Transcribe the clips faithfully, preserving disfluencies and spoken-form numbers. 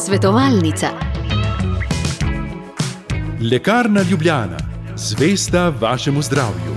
Svetovalnica. Lekarna Ljubljana. Zvesta vašemu zdravju.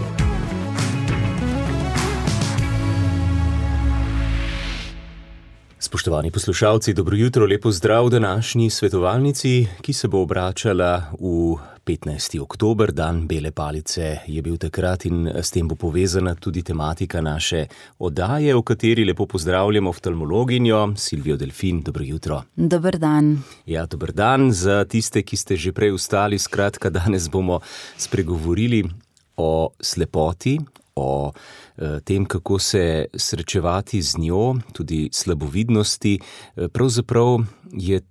Spoštovani poslušalci, dobro jutro, lepo zdrav v današnji svetovalnici, ki se bo obračala v petnajsti oktober, dan bele palice je bil takrat in s tem bo povezana tudi tematika naše oddaje, v kateri lepo pozdravljamo oftalmologinjo Silvijo Delfin. Dobro jutro. Dober dan. Ja, dober dan za tiste, ki ste že prej vstali. Skratka, danes bomo spregovorili o slepoti, o tem, kako se srečevati z njo, tudi slabovidnosti. Pravzaprav je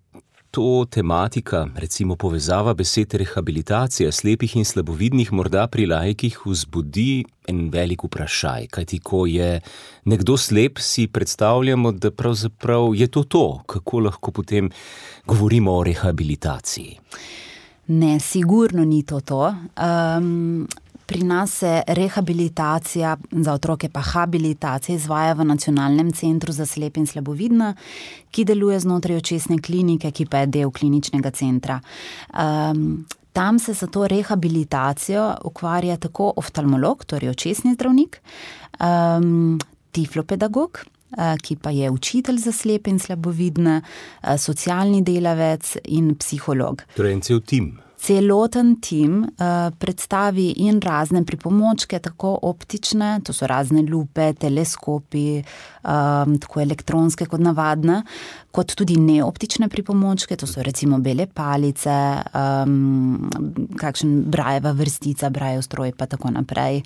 to tematika, recimo povezava besed rehabilitacija slepih in slabovidnih, morda pri laikih vzbudi en velik vprašaj. Kajti, ko je nekdo slep, si predstavljamo, da pravzaprav je to to. Kako lahko potem govorimo o rehabilitaciji? Ne, sigurno ni to to. Um... Pri nas se rehabilitacija, za otroke pa habilitacija, izvaja v Nacionalnem centru za slepe in slabovidne, ki deluje znotraj očesne klinike, ki pa je del kliničnega centra. Um, tam se za to rehabilitacijo ukvarja tako oftalmolog, torej očesni zdravnik, um, tiflopedagog, ki pa je učitelj za slepe in slabovidne, socialni delavec in psiholog. Torej en cel tim. Celoten tim uh, predstavi in razne pripomočke, tako optične, to so razne lupe, teleskopi, um, tako elektronske kot navadne, kot tudi neoptične pripomočke, to so recimo bele palice, um, kakšen brajeva vrstica, brajev stroj pa tako naprej,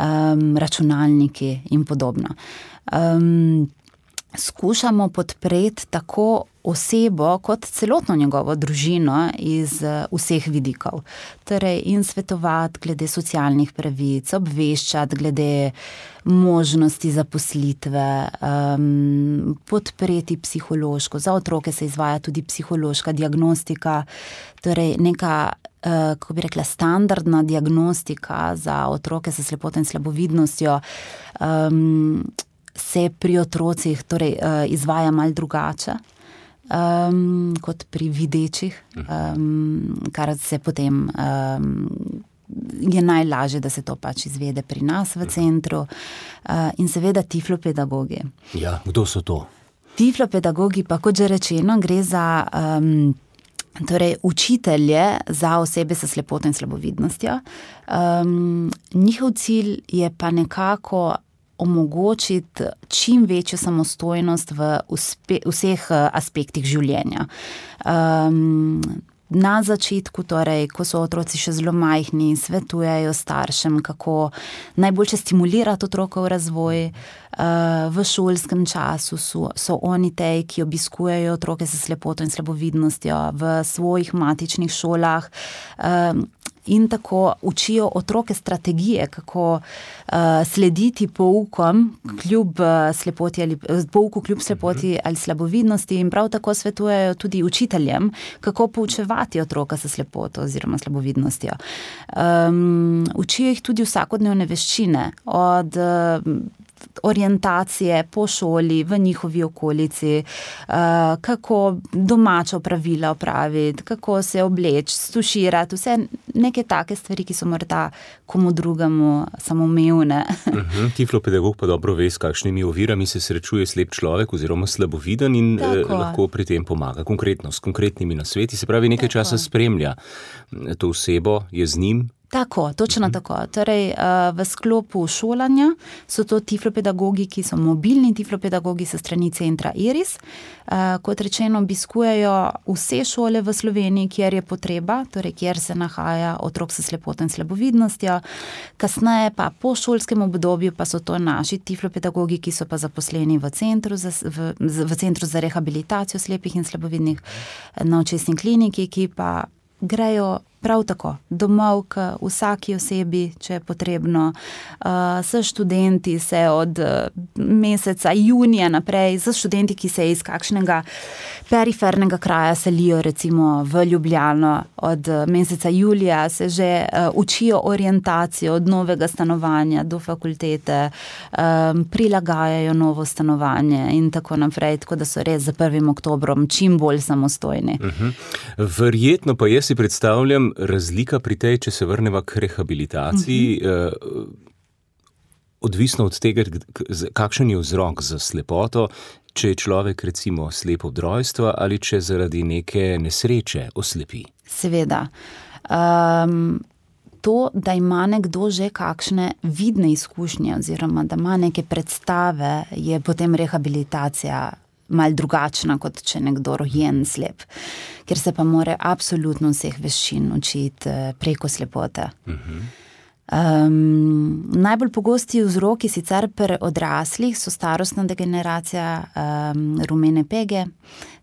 um, računalniki in podobno. Um, Skušamo podpreti tako osebo kot celotno njegovo družino iz vseh vidikov. Torej in svetovati glede socialnih pravic, obveščati glede možnosti zaposlitve, um, podpreti psihološko. Za otroke se izvaja tudi psihološka diagnostika, torej neka, uh, kako bi rekla, standardna diagnostika za otroke s slepoto in slabovidnostjo, um, se pri otrocih torej, izvaja malo drugače um, kot pri videčih, um, kar se potem um, je najlažje, da se to pač izvede pri nas v centru. Uh, in seveda tiflopedagogi. Ja, kdo so to? Tiflopedagogi pa, kot že rečeno, gre za um, torej, učitelje za osebe s slepoto in slabovidnostjo. Um, njihov cilj je pa nekako omogočiti čim večjo samostojnost v uspe, vseh aspektih življenja. Um, na začetku, torej, ko so otroci še zelo majhni, svetujejo staršem, kako najboljše stimulirati otrokov razvoj. Uh, v šolskem času so, so oni tej, ki obiskujejo otroke s slepoto in slabovidnostjo v svojih matičnih šolah, um, in tako učijo otroke strategije, kako uh, slediti poukom kljub slepoti ali pouku kljub slepoti ali slabovidnosti, in prav tako svetujejo tudi učiteljem, kako poučevati otroka s slepoto oziroma slabovidnostjo. Um, učijo jih tudi vsakodnevne veščine, od uh, orientacije po šoli, v njihovi okolici, kako domača opravila opraviti, kako se obleči, stuširati, vse neke take stvari, ki so morda komu drugemu samoumevne. Uh-huh. Tiflopedagog pa dobro ve, s kakšnimi ovirami se srečuje slep človek oziroma slaboviden in eh, lahko pri tem pomaga konkretno, s konkretnimi nasveti, se pravi nekaj Tako. časa spremlja to osebo, je z njim. Tako, točno uh-huh. tako. Torej, v sklopu šolanja so to tiflopedagogi, ki so mobilni tiflopedagogi s strani centra Iris. Kot rečeno, obiskujejo vse šole v Sloveniji, kjer je potreba, torej kjer se nahaja otrok s slepoto in slabovidnostjo. Kasneje pa po šolskem obdobju pa so to naši tiflopedagogi, ki so pa zaposleni v centru za, v, v centru za rehabilitacijo slepih in slabovidnih na očesni kliniki, ki pa grejo prav tako, domov k vsaki osebi, če je potrebno. Uh, s študenti se od meseca junija naprej, s študenti, ki se iz kakšnega perifernega kraja selijo recimo v Ljubljano, od meseca julija se že uh, učijo orientacijo od novega stanovanja do fakultete, um, prilagajajo novo stanovanje in tako naprej, tako da so res za prvim oktobrom čim bolj samostojni. Uh-huh. Verjetno pa jaz si predstavljam razlika pri tej, če se vrneva k rehabilitaciji, uh-huh. eh, odvisno od tega, kakšen je vzrok za slepoto, če je človek recimo slep od rojstva ali če zaradi neke nesreče oslepi. Seveda. Um, to, da ima nekdo že kakšne vidne izkušnje oziroma da ima neke predstave, je potem rehabilitacija mal drugačna, kot če nekdo rojen slep, ker se pa mora absolutno vseh veščin učiti preko slepote. Uh-huh. Um, najbolj pogosti vzroki sicer pri odraslih so starostna degeneracija, um, rumene pege,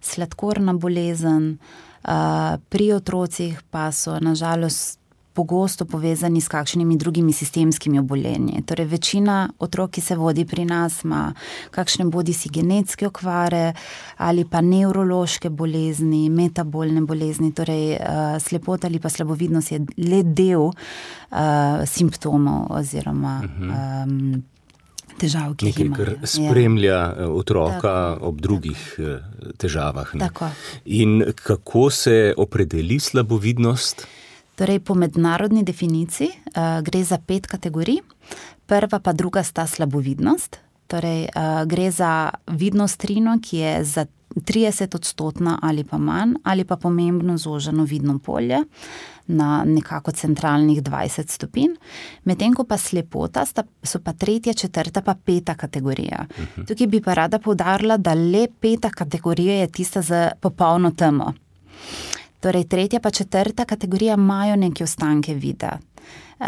sladkorna bolezen, uh, pri otrocih pa so nažalost pogosto povezani s kakšnimi drugimi sistemskimi obolenji. Torej, večina otrok, ki se vodi pri nas, ima kakšne bodisi genetske okvare ali pa nevrološke bolezni, metabolne bolezni, torej uh, slepota ali pa slabovidnost je le del uh, simptomov oziroma um, težav, ki jih imajo. Nekaj, kar spremlja ja. otroka tako, ob drugih tako. težavah. Ne? Tako. In kako se opredeli slabovidnost? Torej, po mednarodni definiciji uh, gre za pet kategorij. Prva pa druga sta slabovidnost. Torej, uh, gre za vidnost trino, ki je za trideset odstotna ali pa manj, ali pa pomembno zoženo vidno polje na nekako centralnih dvajset stopinj. Medtem ko pa slepota sta, so pa tretja, četrta pa peta kategorija. Uh-huh. Tukaj bi pa rada poudarila, da le peta kategorija je tista za popolno temo. Torej, tretja pa četrta kategorija imajo neke ostanke vida. Uh,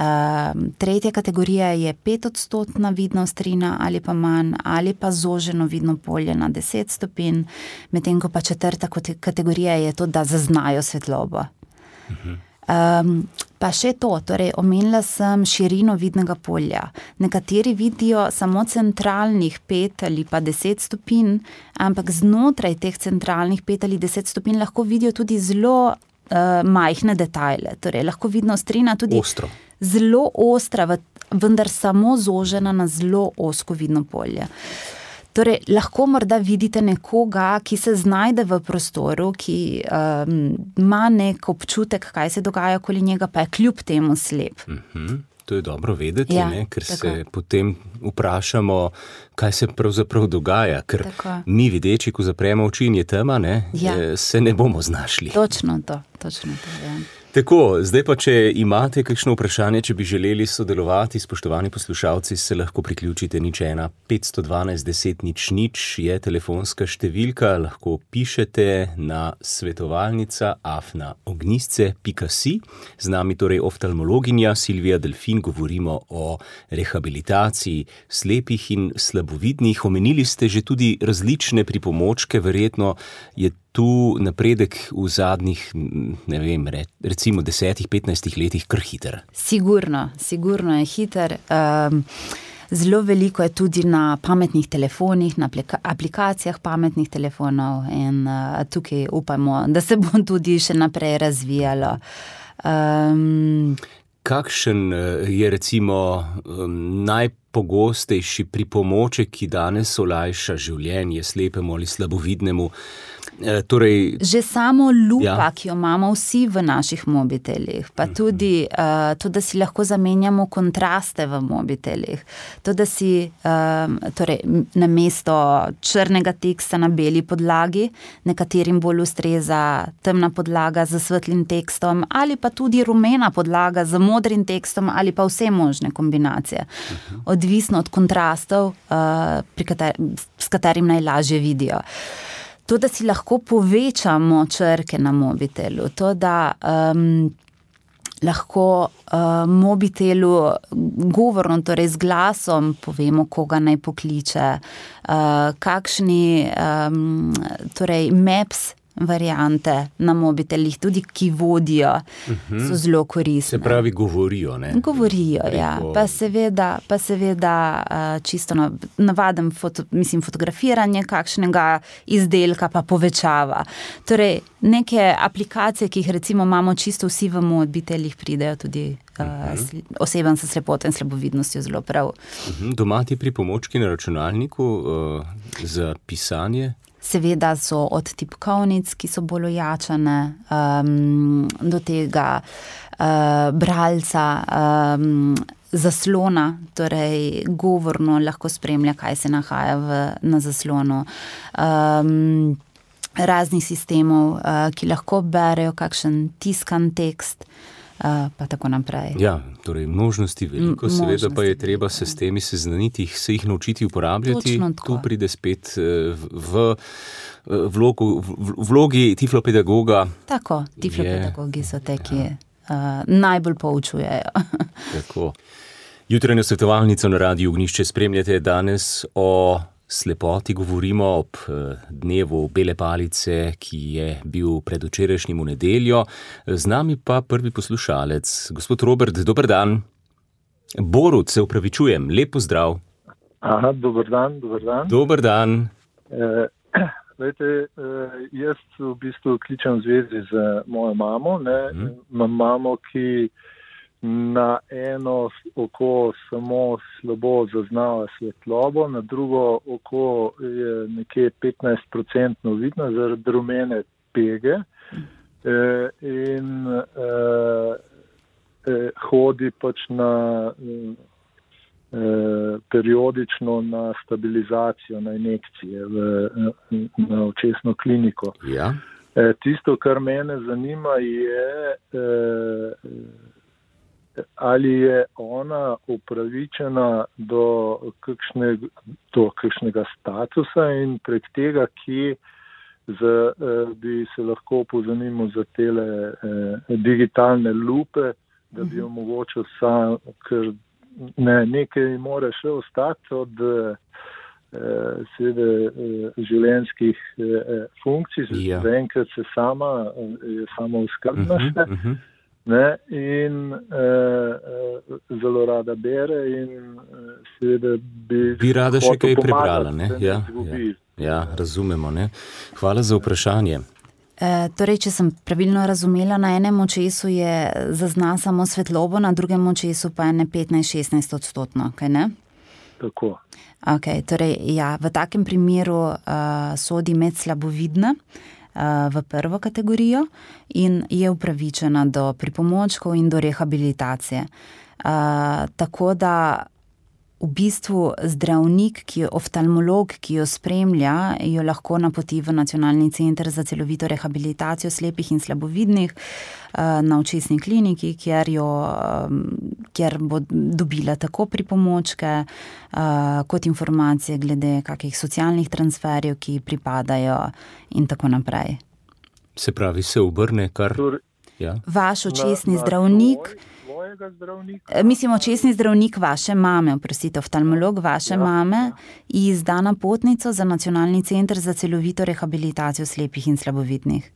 tretja kategorija je petodstotna vidnost trina ali pa manj, ali pa zoženo vidno polje na deset stopinj, medtem ko pa četrta kategorija je to, da zaznajo svetlobo. Uh-huh. Um, pa še to, torej omenila sem širino vidnega polja. Nekateri vidijo samo centralnih pet ali pa deset stopinj, ampak znotraj teh centralnih pet ali deset stopinj lahko vidijo tudi zelo uh, majhne detajle. Torej, lahko vidnost trina tudi ostro. Zelo ostra, vendar samo zožena na zelo ozko vidno polje. Torej, lahko morda vidite nekoga, ki se znajde v prostoru, ki um, ima nek občutek, kaj se dogaja okoli njega, pa je kljub temu slep. Mm-hmm. To je dobro vedeti, ja, ne? Ker tako. se potem vprašamo, kaj se pravzaprav dogaja, ker tako. Mi videči, ko zapremo oči in je tema, ne? Ja. Se ne bomo znašli. Točno to, točno to, ja. Tako, zdaj pa, če imate kakšno vprašanje, če bi želeli sodelovati, spoštovani poslušalci, se lahko priključite nič ena petsto dvanajst deset nič nič je telefonska številka, lahko pišete na svetovalnica afna ognjisce pika si. Z nami torej oftalmologinja Silvija Delfin, govorimo o rehabilitaciji slepih in slabovidnih. Omenili ste že tudi različne pripomočke, verjetno je tu napredek v zadnjih, ne vem, recimo desetih, petnajstih letih kar hiter. Sigurno, sigurno je hiter. Um, zelo veliko je tudi na pametnih telefonih, na aplikacijah pametnih telefonov in uh, tukaj upamo, da se bo tudi še naprej razvijalo. Um, Kakšen je recimo um, najpogostejši pripomoček, ki danes olajša življenje slepemu ali slabovidnemu? E, torej, že samo lupa, ja. ki jo imamo vsi v naših mobitelih, pa tudi uh, to, da si lahko zamenjamo kontraste v mobitelih, to, da si um, torej, namesto črnega teksta na beli podlagi, nekaterim bolj ustreza temna podlaga z svetlim tekstom ali pa tudi rumena podlaga z modrim tekstom ali pa vse možne kombinacije. Uh-huh. Odvisno od kontrastov, uh, pri kater- s katerim najlažje vidijo. To, da si lahko povečamo črke na mobitelu, to, da um, lahko uh, mobitelu govorno, torej z glasom povemo, koga naj pokliče, uh, kakšni um, torej maps variante na mobitelih, tudi ki vodijo, uh-huh. so zelo koristne. Se pravi, govorijo, ne? Govorijo, Preko... ja. Pa seveda, pa seveda čisto navaden foto, mislim, fotografiranje kakšnega izdelka pa povečava. Torej, neke aplikacije, ki jih recimo imamo čisto vsi v mobitelih, pridejo tudi uh-huh. osebam s slepoto in slabovidnostjo zelo prav. Uh-huh. Doma ti pripomočki na računalniku uh, za pisanje? Seveda so od tipkovnic, ki so bolj ojačane, um, do tega uh, bralca, um, zaslona, torej govorno lahko spremlja, kaj se nahaja v, na zaslonu. Um, raznih sistemov, uh, ki lahko berejo kakšen tiskan tekst, Uh, pa tako naprej. Ja, torej možnosti veliko, M- seveda možnosti pa je treba se s temi seznaniti, se jih naučiti uporabljati. Tu pride spet v, v vlogu, v vlogi tiflopedagoga. Tako, tiflopedagogi so te, ki ja. uh, najbolj poučujejo. Tako. Jutranjo svetovalnico na Radiu Ognjišče spremljate. Danes o slepoti govorimo ob dnevu bele palice, ki je bil predvčerajšnjim v nedeljo. Z nami pa prvi poslušalec, gospod Robert, dober dan. Borut, se upravičujem, lep pozdrav. Aha, dober dan, dober dan. Dober dan. E, lejte, jaz v bistvu kličem v zvezi z mojo mamo, ne, hmm. imam mamo, ki na eno oko samo slabo zaznava svetlobo, na drugo oko je nekje petnajst procentno vidno zaradi rumene pege e, in e, e, hodi pač na e, periodično na stabilizacijo, na injekcije v, na očesno kliniko. Ja. E, tisto, kar mene zanima, je e, ali je ona upravičena do, kakšne, do kakšnega statusa in prek tega, ki za, eh, bi se lahko pozanimo za tele eh, digitalne lupe, da bi omogočil sam, ker ne, nekaj mora še ostati od eh, seveda eh, življenjskih eh, funkcij, ja. Zaenkrat se sama, je samo uskrbna še. Uh-huh, uh-huh. Ne, in uh, zelo rada bere in uh, seveda bi... Bi rada še kaj prebrala, ne? Ja, ja, ja, razumemo, ne? Hvala za vprašanje. E, torej, če sem pravilno razumela, na enem očesu je zazna samo svetlobo, na drugem očesu pa je ne petnajst šestnajst odstotno, kaj ne? Tako. Ok, torej, ja, v takem primeru uh, sodi med slabovidne, v prvo kategorijo in je upravičena do pripomočkov in do rehabilitacije. Uh, tako da v bistvu zdravnik, ki je oftalmolog, ki jo spremlja, jo lahko napoti v Nacionalni center za celovito rehabilitacijo slepih in slabovidnih uh, na očesni kliniki, kjer, jo, um, kjer bo dobila tako pripomočke uh, kot informacije glede kakih socialnih transferjev, ki pripadajo in tako naprej. Se pravi, se obrne kar... Ja. Vaš očesni na, na zdravnik... Zdravnika. Mislim, očesni zdravnik vaše mame, oprostite, oftalmolog vaše ja, mame, ja. izda napotnico za Nacionalni center za celovito rehabilitacijo slepih in slabovidnih.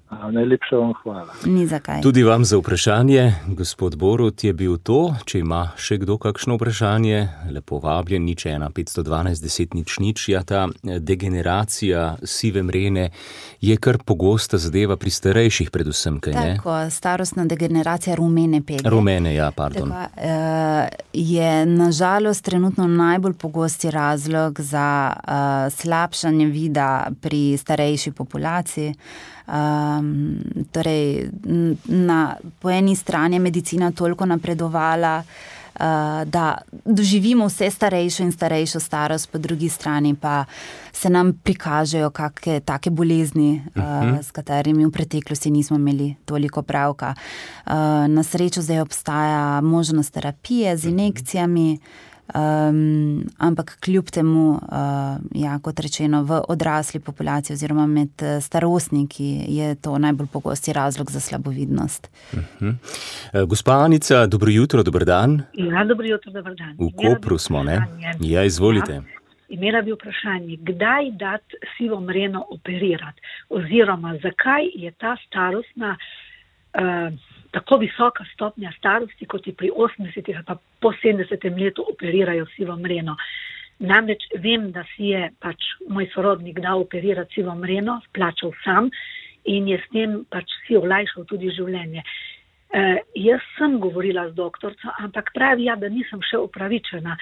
A, najlepša vam hvala. Ni zakaj. Tudi vam za vprašanje, gospod Borut, je bil to. Če ima še kdo kakšno vprašanje, lepo vabljen, nič ena petsto dvanajst deset nič nič. Ja, ta degeneracija sive mrene je kar pogosta zadeva pri starejših predvsem, kaj ne? Tako, starostna degeneracija rumene pege. Rumene, ja, pardon. Tako, uh, je nažalost trenutno najbolj pogosti razlog za uh, slabšanje vida pri starejši populaciji. Um, torej, na, po eni strani je medicina toliko napredovala, uh, da doživimo vse starejšo in starejšo starost, po drugi strani pa se nam prikažejo kakšne take bolezni, uh, s katerimi v preteklosti nismo imeli toliko pravka. Uh, na srečo zdaj obstaja možnost terapije z injekcijami, Um, ampak kljub temu, uh, ja, kot rečeno, v odrasli populaciji oziroma med starostniki je to najbolj pogosti razlog za slabovidnost. Uh-huh. Gospa Anica, dobro jutro, dober dan. Ja, dobro jutro, dober dan. V Kopru smo, ne? Ja, izvolite. imela bi vprašanje, kdaj dati sivo mreno operirati, oziroma zakaj je ta starostna, uh, tako visoka stopnja starosti, kot je pri osemdesetih ali pa po sedemdesetem letu operirajo sivo mreno. Namreč vem, da si je pač moj sorodnik dal operirati sivo mreno, plačal sam in je s tem pač si olajšal tudi življenje. Uh, jaz sem govorila z doktorco, ampak pravi ja, da nisem še upravičena.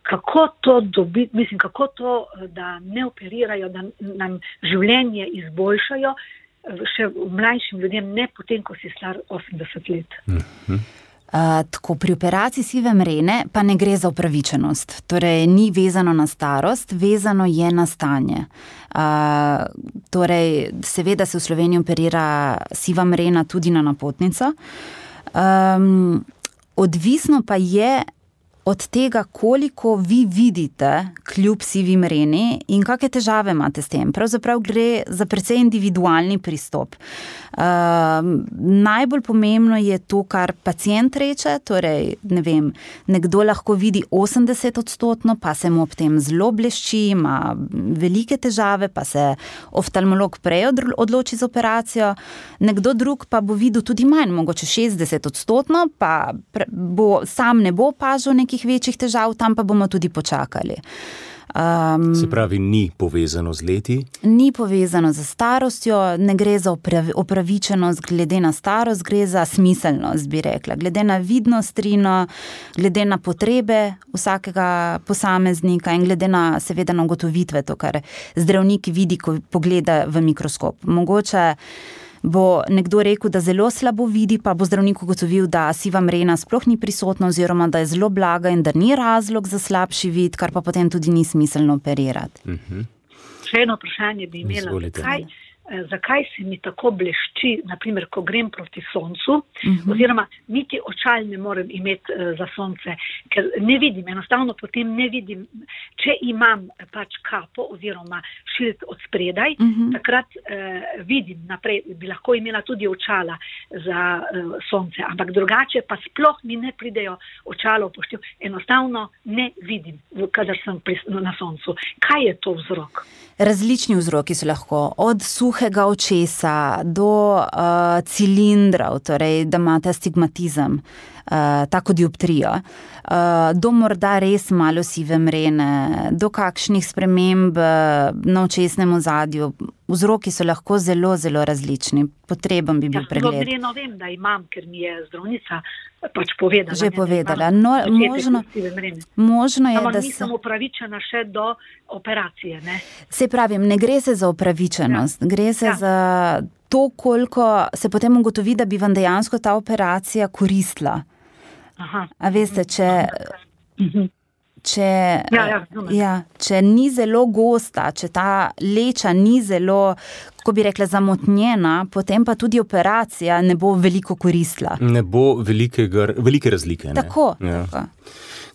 Kako to dobiti, mislim, kako to, da ne operirajo, da nam življenje izboljšajo, še mlajšim ljudem, ne potem, ko si star osemdeset let. Uh, tako, pri operaciji sive mrene pa ne gre za upravičenost. Torej, ni vezano na starost, vezano je na stanje. Uh, torej, seveda se v Sloveniji operira siva mrena tudi na napotnico. Um, odvisno pa je od tega, koliko vi vidite kljub sivi mreni in kakšne težave imate s tem. Pravzaprav gre za precej individualni pristop. Uh, najbolj pomembno je to, kar pacient reče, torej, ne vem, nekdo lahko vidi osemdeset odstotno, pa se mu ob tem zelo blešči, ima velike težave, pa se oftalmolog prej odloči za operacijo, nekdo drug pa bo videl tudi manj, mogoče šestdeset odstotno, pa bo, sam ne bo opažal nekih večjih težav, tam pa bomo tudi počakali. Um, Se pravi, ni povezano z leti? Ni povezano z starostjo, ne gre za opravičenost glede na starost, gre za smiselnost, bi rekla. Glede na vidnost trino, glede na potrebe vsakega posameznika in glede na, seveda, na ugotovitve, to, kar zdravnik vidi, ko pogleda v mikroskop. Mogoče bo nekdo rekel, da zelo slabo vidi, pa bo zdravnik ugotovil, da siva mrena sploh ni prisotna oziroma da je zelo blaga in da ni razlog za slabši vid, kar pa potem tudi ni smiselno operirati. Uh-huh. Še eno vprašanje bi imela, zakaj, zakaj se mi tako blešči, naprimer, ko grem proti soncu, uh-huh. oziroma niti očal ne morem imeti uh, za sonce, ker ne vidim, enostavno potem ne vidim, če imam pač kapo oziroma šilt od spredaj, uh-huh. takrat uh, vidim naprej, bi lahko imela tudi očala za uh, sonce, ampak drugače pa sploh mi ne pridejo očala upoštev, enostavno ne vidim, kadar sem pri, na soncu. Kaj je to vzrok? Različni vzroki so lahko, od suhega očesa do uh, cilindrov, torej da imate astigmatizem, uh, tako dioptrijo, uh, do morda res malo sive mrene, do kakšnih sprememb uh, na očesnem ozadju. Vzroki so lahko zelo, zelo različni. Potreben bi bil ja, pregled. Ja, no, vem, da imam, ker mi je zdravnica pač povedala. Že povedala. No, možno, možno je, Ampak da nisem se... upravičena še do operacije, ne? Se pravim, ne gre se za upravičenost. Ja. Gre se ja. za to, koliko se potem ugotovi, da bi vam dejansko ta operacija koristila. Aha. A veste, če... Mhm. Če, ja, ja, ja, če ni zelo gosta, če ta leča ni zelo, kako bi rekla, zamotnjena, potem pa tudi operacija ne bo veliko koristila. Ne bo velikega, velike razlike. Ne? Tako, ja. tako.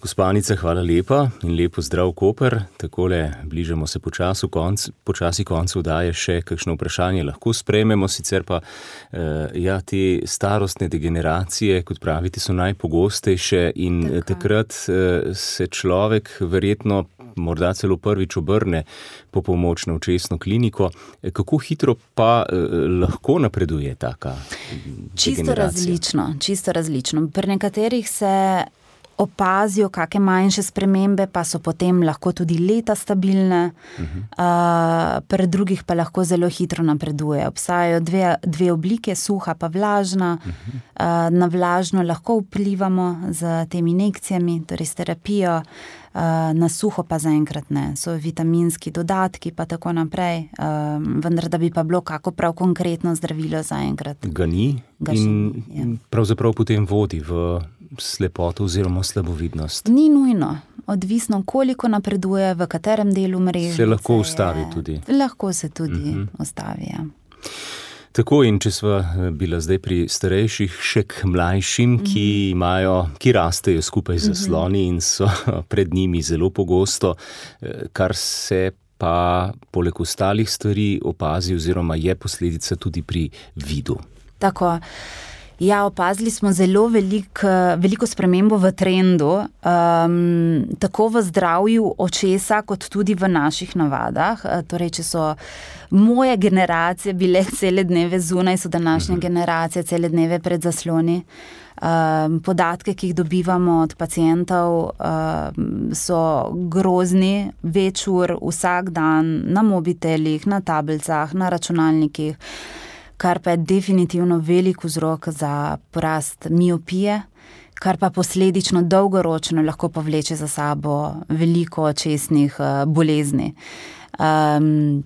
Gospa Anica, hvala lepa in lepo zdrav Koper. Takole bližamo se počasi konc, počasi koncu daje še kakšno vprašanje. Lahko sprejmemo, sicer pa eh, ja, te starostne degeneracije, kot pravite, so najpogostejše in Tako. takrat eh, se človek verjetno morda celo prvič obrne po pomoč na očesno kliniko. Kako hitro pa eh, lahko napreduje taka degeneracija? Čisto različno, čisto različno. Pri nekaterih se opazijo kakšne manjše spremembe, pa so potem lahko tudi leta stabilne, uh-huh. uh, pri drugih pa lahko zelo hitro napreduje. Obstajajo dve, dve oblike, suha pa vlažna. Uh-huh. Uh, na vlažno lahko vplivamo z temi injekcijami, torej s terapijo, uh, na suho pa zaenkrat ne. So vitaminski dodatki pa tako naprej, uh, vendar da bi pa bilo kako prav konkretno zdravilo zaenkrat. Ga ni Ga in ni, ja. pravzaprav potem vodi v slepoto oziroma slabovidnost. Ni nujno, odvisno koliko napreduje, v katerem delu mrežice. Se lahko ustavi tudi. Lahko se tudi uh-huh. ustavi, ja. Tako, in če sva bila zdaj pri starejših, še k mlajšim, uh-huh. ki imajo, ki rastejo skupaj z zasloni uh-huh. in so pred njimi zelo pogosto, kar se pa poleg ostalih stvari opazi oziroma je posledica tudi pri vidu. Tako. Ja, opazili smo zelo velik, veliko spremembo v trendu, um, tako v zdravju očesa, kot tudi v naših navadah. Torej, če so moje generacije bile cele dneve zunaj, so današnje generacije cele dneve pred zasloni. Um, podatke, ki jih dobivamo od pacientov, um, so grozni, več ur vsak dan na mobitelih, na tablicah, na računalnikih, kar pa je definitivno velik vzrok za porast miopije, kar pa posledično dolgoročno lahko povleče za sabo veliko očesnih uh, bolezni. Um,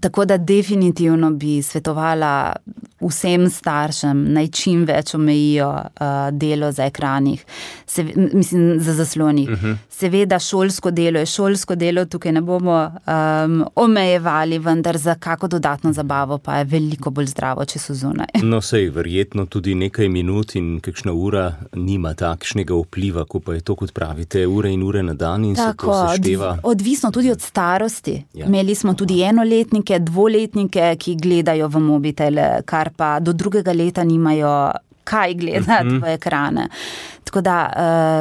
tako da definitivno bi svetovala vsem staršem naj čim več omejijo uh, delo za ekranih, Se, mislim za zaslonih. Uh-huh. Seveda šolsko delo je šolsko delo, tukaj ne bomo um, omejevali, vendar za kako dodatno zabavo pa je veliko bolj zdravo, če so zunaj. No, sej, verjetno tudi nekaj minut in kakšna ura nima takšnega vpliva, ko pa je to, kot pravite, ure in ure na dan in Tako, se to sešteva. Odvisno tudi od starosti. Ja. Imeli smo tudi enoletnike, dvoletnike, ki gledajo v mobitele, kar pa do drugega leta nimajo kaj gledati uh-huh. v ekrane. Tako da,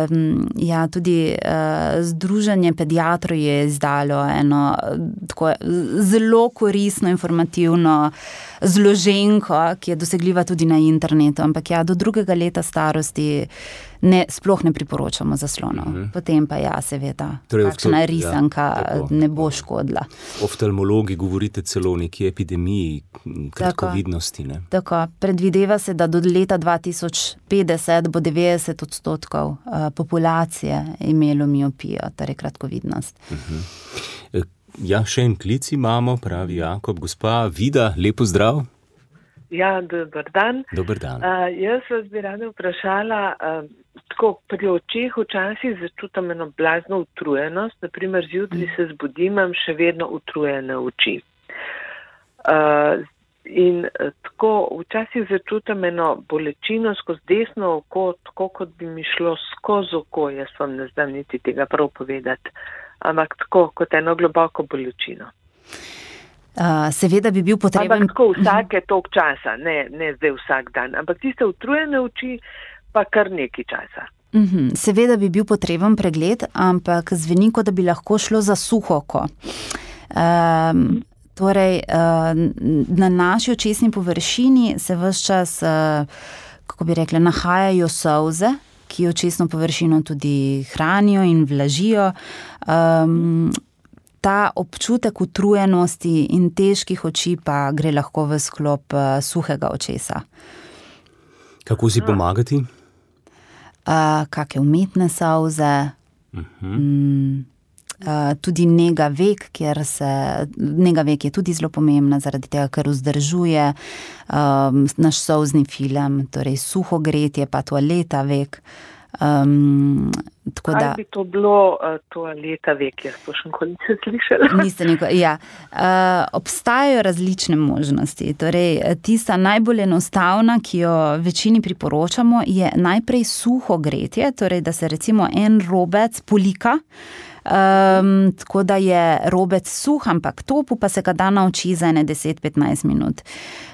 um, ja, tudi uh, Združenje pediatrov je izdalo eno tako zelo koristno, informativno zloženko, ki je dosegljiva tudi na internetu, ampak ja, do drugega leta starosti ne, sploh ne priporočamo zaslonov. Uh-huh. Potem pa ja, seveda, torej, kakšna risanka ja, ne bo škodila. Oftalmologi govorite celo o neki epidemiji kratkovidnosti, ne? Tako, predvideva se, da do leta dva tisoč petdeset bo devetdeset odstotkov uh, populacije imelo miopijo, torej kratkovidnost. Uh-huh. Ja, še en klic imamo, pravi Jakob. Gospa Vida, lepo zdrav. Ja, dober dan. Dober dan. Uh, jaz vas bi rada vprašala, uh, tako pri očeh včasih začutam eno blazno utrujenost, naprimer zjutraj se zbudim, imam še vedno utrujene oči. Uh, in uh, tako včasih začutam eno bolečino skozi desno oko, tako kot bi mi šlo skozi oko, jaz vam ne znam niti tega prav povedati, ampak tako kot eno globoko bolečino. Uh, seveda bi bil potreben... Ampak tako vsake toliko časa, ne, ne zdaj vsak dan, ampak tiste utrujene oči pa kar nekaj časa. Uh-huh. Seveda bi bil potreben pregled, ampak zveni, kot da bi lahko šlo za suho oko. Um, torej, uh, na naši očesni površini se ves čas, uh, kako bi rekla, nahajajo solze, ki očesno površino tudi hranijo in vlažijo. Um, Ta občutek utrujenosti in težkih oči pa gre lahko v sklop uh, suhega očesa. Kako si pomagati? Uh, kake umetne solze, uh-huh. mm, uh, tudi nega vek, kjer se, nega vek je tudi zelo pomembna, zaradi tega, ker vzdržuje um, naš solzni film, torej suho gretje pa toaleta vek. Um, tako Kaj da, bi to bilo uh, toaleta vek, jaz to še nikoli nisem slišala. Niste nikoli, ja. Uh, obstajajo različne možnosti. Torej, tista najbolj enostavna, ki jo večini priporočamo, je najprej suho gretje, torej, da se recimo en robec polika, Um, tako da je robec suh, ampak topu pa se ga da na oči za ene deset do petnajst minut.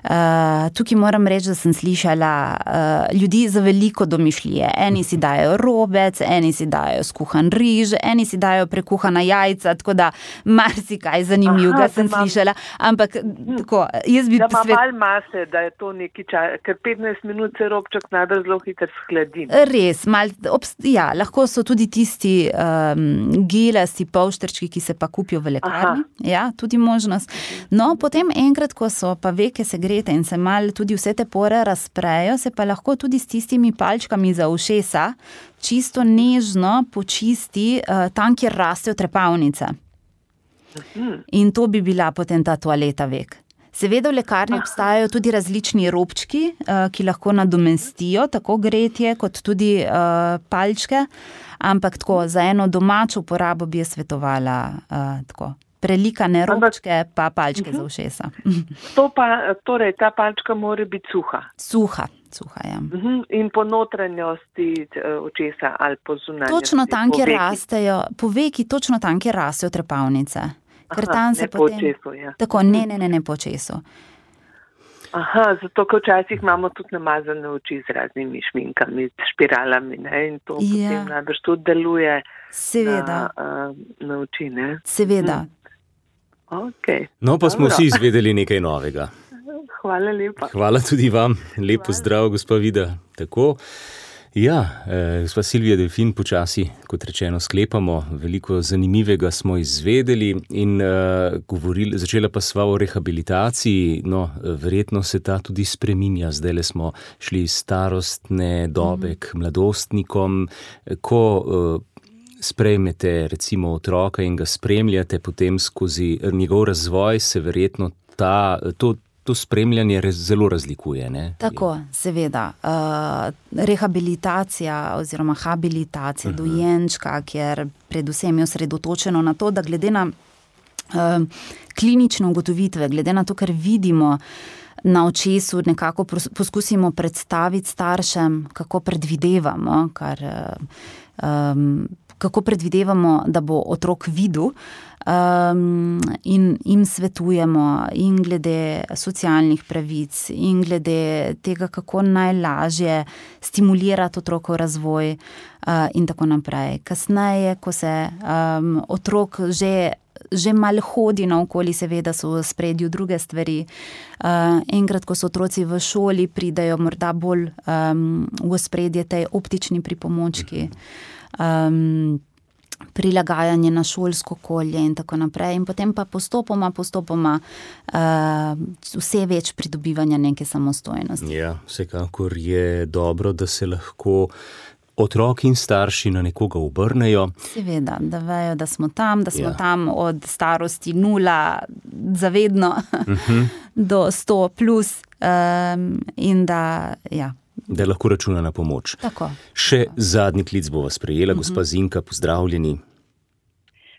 Uh, tukaj moram reči, da sem slišala uh, ljudi za veliko domišljije. Eni si dajo robec, eni si dajo skuhan riž, eni si dajo prekuhana jajca, tako da marsikaj zanimivega sem mam... slišala. Ampak tako, jaz bi... Da ima svet... malo mase, da je to neki čas, ker petnajst minut se robček najbolj zelo hitro shladi. Res, mal, obst... ja, lahko so tudi tisti um, gelasti polštrčki, ki se pa kupijo v lekarni. Aha. Ja, tudi možnost. No, potem enkrat, ko so pa veke segrete in se mal tudi vse te pore razprejo, se pa lahko tudi s tistimi palčkami za ušesa čisto nežno počisti uh, tam, kjer rastejo trepalnice. Mhm. In to bi bila potem ta toaleta vek. Seveda v lekarni obstajajo tudi različni robčki, uh, ki lahko nadomestijo tako gretje kot tudi uh, palčke, ampak tako za eno domačo uporabo bi jaz svetovala uh, tako. Prelikane robčke, pa palčke uh-huh. za ušesa. To pa, torej, ta palčka mora biti suha. Suha, suha, ja. Uh-huh. In po notranjosti očesa ali po zunanjosti. Točno tam, kjer rastejo, po veki, točno tam, kjer rastejo trepalnice. Ker Aha, tam se ne po potem... očesu, ja. Tako, ne, ne, ne, ne po očesu. Aha, zato, ker včasih imamo tudi namazane oči z raznimi šminkami, s špiralami, ne, in to ja. potem najbrž tudi deluje Seveda. na, na oči, ne. Seveda. Hm. Okay. No, pa smo vsi izvedeli nekaj novega. Hvala lepa. Hvala tudi vam. Lep pozdrav, gospa Vida. Tako. Ja, eh, gospa Silvija Delfin, počasi, kot rečeno, sklepamo. Veliko zanimivega smo izvedeli in eh, govorili, začela pa sva o rehabilitaciji. No, verjetno se ta tudi spreminja. Zdajle smo šli iz starostne dobe k mladostnikom. Ko eh, sprejmete recimo otroka in ga spremljate potem skozi njegov razvoj, se verjetno ta, to To spremljanje zelo razlikuje, ne? Tako, seveda. Uh, rehabilitacija oziroma habilitacija uh-huh. dojenčka, kjer predvsem je osredotočeno na to, da glede na uh, klinične ugotovitve, glede na to, kar vidimo na očesu, nekako poskusimo predstaviti staršem, kako predvidevamo, kar, um, kako predvidevamo, da bo otrok videl. Um, in jim svetujemo in glede socialnih pravic in glede tega, kako najlažje stimulirati otrokov razvoj uh, in tako naprej. Kasneje, ko se um, otrok že, že malo hodi naokoli, seveda so v spredju druge stvari. Uh, enkrat, ko so otroci v šoli, pridajo morda bolj um, v spredje tej optični pripomočki. Um, prilagajanje na šolsko okolje in tako naprej. In potem pa postopoma, postopoma uh, vse več pridobivanja neke samostojnosti. Ja, vsekakor je dobro, da se lahko otroki in starši na nekoga obrnejo. Seveda, da vejo, da smo tam, da smo ja. tam od starosti nula zavedno uh-huh. do sto plus um, in da, ja, da lahko računa na pomoč. Tako. Še zadnji klic bova sprejela, uh-huh. gospa Zinka, pozdravljeni.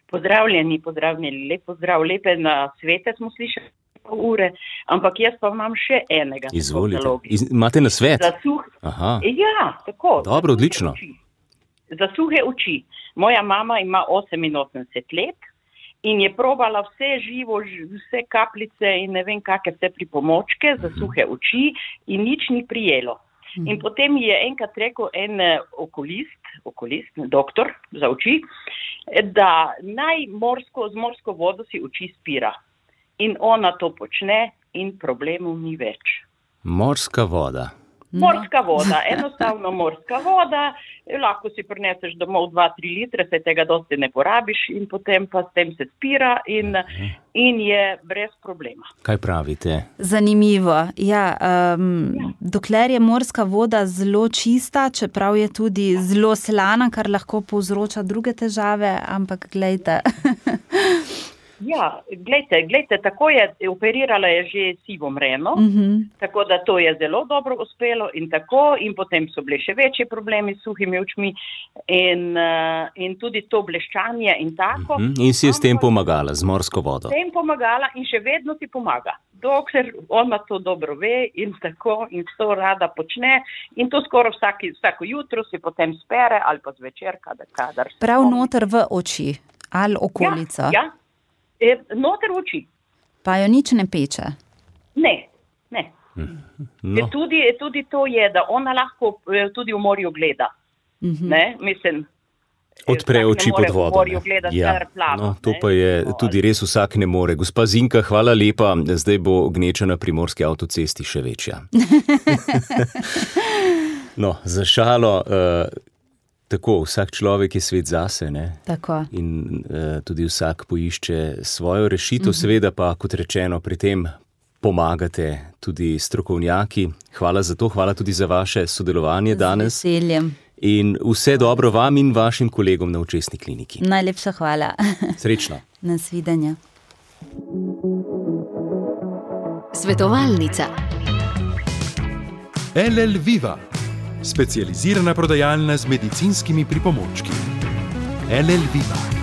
Pozdravljeni, pozdravljeni, lep pozdrav, lepe na svete smo slišali pol ure, ampak jaz pa imam še enega. Izvolite, Iz, imate na svet? Za suh... Aha. Ja, tako. Dobro, odlično. Oči. Za suhe oči. Moja mama ima oseminosemdeset let in je probala vse živo, vse kapljice in ne vem kakve vse pripomočke za suhe oči in nič ni prijelo. In potem je enkrat rekel en okulist, okulist, doktor za oči, da naj morsko, z morsko vodo si oči spira. In ona to počne in problemov ni več. Morska voda. Morska voda, enostavno morska voda, lahko si prineseš domov dva tri litre, se tega dosti ne porabiš in potem pa s tem se spira in, in je brez problema. Kaj pravite? Zanimivo. Ja, um, ja. Dokler je morska voda zelo čista, čeprav je tudi zelo slana, kar lahko povzroča druge težave, ampak glejte. Ja, glejte, glejte, tako je, operirala je že sivo mreno, uh-huh. tako da to je zelo dobro uspelo in tako, in potem so bili še večji problemi s suhimi očmi in, uh, in tudi to bleščanje in tako. Uh-huh. In si je s tem pomagala, z morsko vodo? S tem pomagala in še vedno ti pomaga, dokler ona to dobro ve in tako in to rada počne in to skoraj vsaki, vsako jutro si potem spere ali pa zvečer, kadar, kadar. Prav noter v oči ali okolico? Ja, ja. E, noter v oči. Pa jo nič ne peče? Ne, ne. No. E, tudi, tudi to je, da ona lahko tudi v morju gleda. Uh-huh. Ne, mislim. Odpre oči pod vodo. Ja. Plavo, no, to pa je tudi res vsak ne more. Gospa Zinka, hvala lepa. Zdaj bo gneča na primorski avtocesti še večja. No, za šalo... Uh, Tako, vsak človek je svet zase, ne? Tako. In uh, tudi vsak poišče svojo rešitev, uh-huh. seveda pa, kot rečeno, pri tem pomagate tudi strokovnjaki. Hvala za to, hvala tudi za vaše sodelovanje z danes. Z veseljem. In vse dobro vam in vašim kolegom na Očesni kliniki. Najlepša hvala. Srečno. Nasvidenja. Svetovalnica. L L Viva. Specializirana prodajalna z medicinskimi pripomočki. L L Viva.